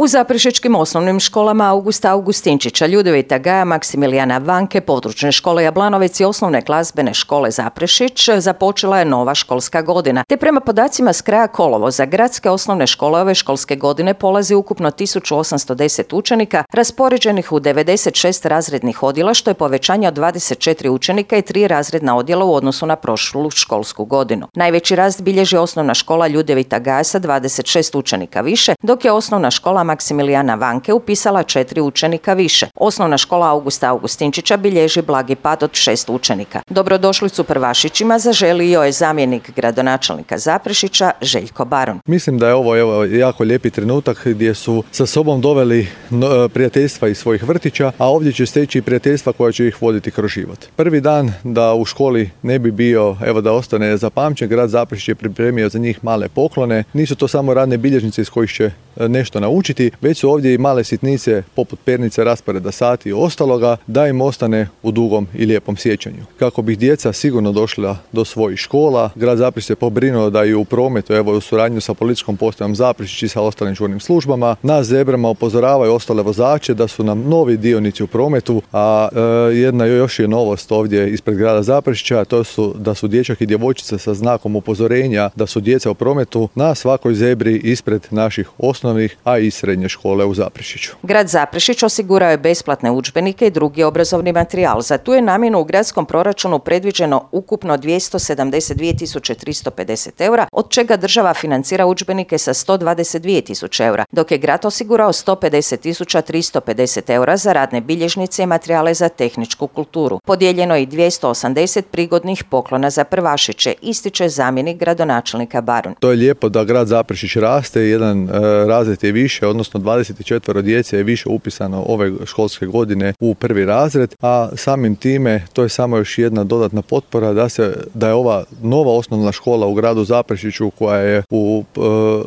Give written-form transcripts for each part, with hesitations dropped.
U zaprešičkim osnovnim školama Augusta Augustinčića, Ljudevita Gaja, Maksimilijana Vanke, područne škole Jablanovec i osnovne glazbene škole Zaprešić započela je nova školska godina. Te prema podacima s kraja kolovoza, gradske osnovne škole ove školske godine polazi ukupno 1810 učenika, raspoređenih u 96 razrednih odjela, što je povećanje od 24 učenika i 3 razredna odjela u odnosu na prošlu školsku godinu. Najveći rast bilježi osnovna škola Ljudevita Gaja sa 26 učenika više, dok je osnovna škola Maksimilijana Vanke upisala 4 učenika više. Osnovna škola Augusta Augustinčića bilježi blagi pad od 6 učenika. Dobrodošlicu prvašićima zaželio je zamjenik gradonačelnika Zaprešića Željko Baron. Mislim da je ovo jako lijepi trenutak gdje su sa sobom doveli prijateljstva iz svojih vrtića, a ovdje će steći prijateljstva koja će ih voditi kroz život. Prvi dan da u školi ne bi bio, da ostane zapamćen, grad Zaprešić je pripremio za njih male poklone. Nisu to samo radne bilježnice iz kojih će nešto naučiti, već su ovdje i male sitnice poput pernice, rasporeda sati i ostaloga, da im ostane u dugom i lijepom sjećanju. Kako bi djeca sigurno došla do svojih škola, grad Zaprešić se pobrinuo da i u prometu, u suradnju sa policijskom postajom Zaprešić i sa ostalim žurnim službama, na zebrama upozoravaju ostale vozače da su nam novi dionici u prometu, a još je novost ovdje ispred grada Zaprešića, to su da su dječak i djevojčica sa znakom upozorenja da su djeca u prometu na svakoj zebri ispred naših osnovnih, a i srednje škole u Zaprešiću. Grad Zaprešić osigurao je besplatne udžbenike i drugi obrazovni materijal. Za tu je namjenu u gradskom proračunu predviđeno ukupno 272.350 eura, od čega država financira udžbenike sa 122.000 eura, dok je grad osigurao 150.350 eura za radne bilježnice i materijale za tehničku kulturu. Podijeljeno je i 280 prigodnih poklona za prvašiće, ističe zamjenik gradonačelnika Baron. To je lijepo da grad Zaprešić raste, jedan razred je više, odnosno 24 djece je više upisano ove školske godine u prvi razred, a samim time to je samo još jedna dodatna potpora da je ova nova osnovna škola u gradu Zaprešiću koja je u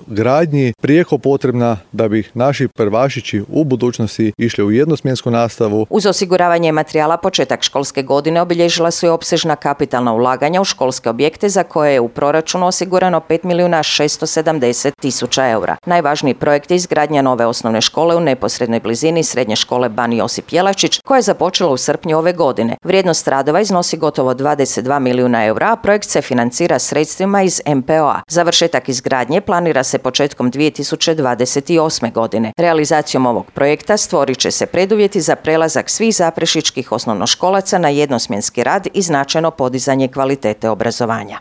gradnji prijeko potrebna da bi naši prvašići u budućnosti išli u jednosmjensku nastavu. Uz osiguravanje materijala početak školske godine obilježila su i opsežna kapitalna ulaganja u školske objekte za koje je u proračunu osigurano 5.670.000 eura. Najvažniji projekt je izgradnja nove osnovne škole u neposrednoj blizini srednje škole Ban Josip Jelačić, koja je započela u srpnju ove godine. Vrijednost radova iznosi gotovo 22 milijuna eura, a projekt se financira sredstvima iz MPO-a. Završetak izgradnje planira se početkom 2028. godine. Realizacijom ovog projekta stvorit će se preduvjeti za prelazak svih zaprešičkih osnovnoškolaca na jednosmjenski rad i značajno podizanje kvalitete obrazovanja.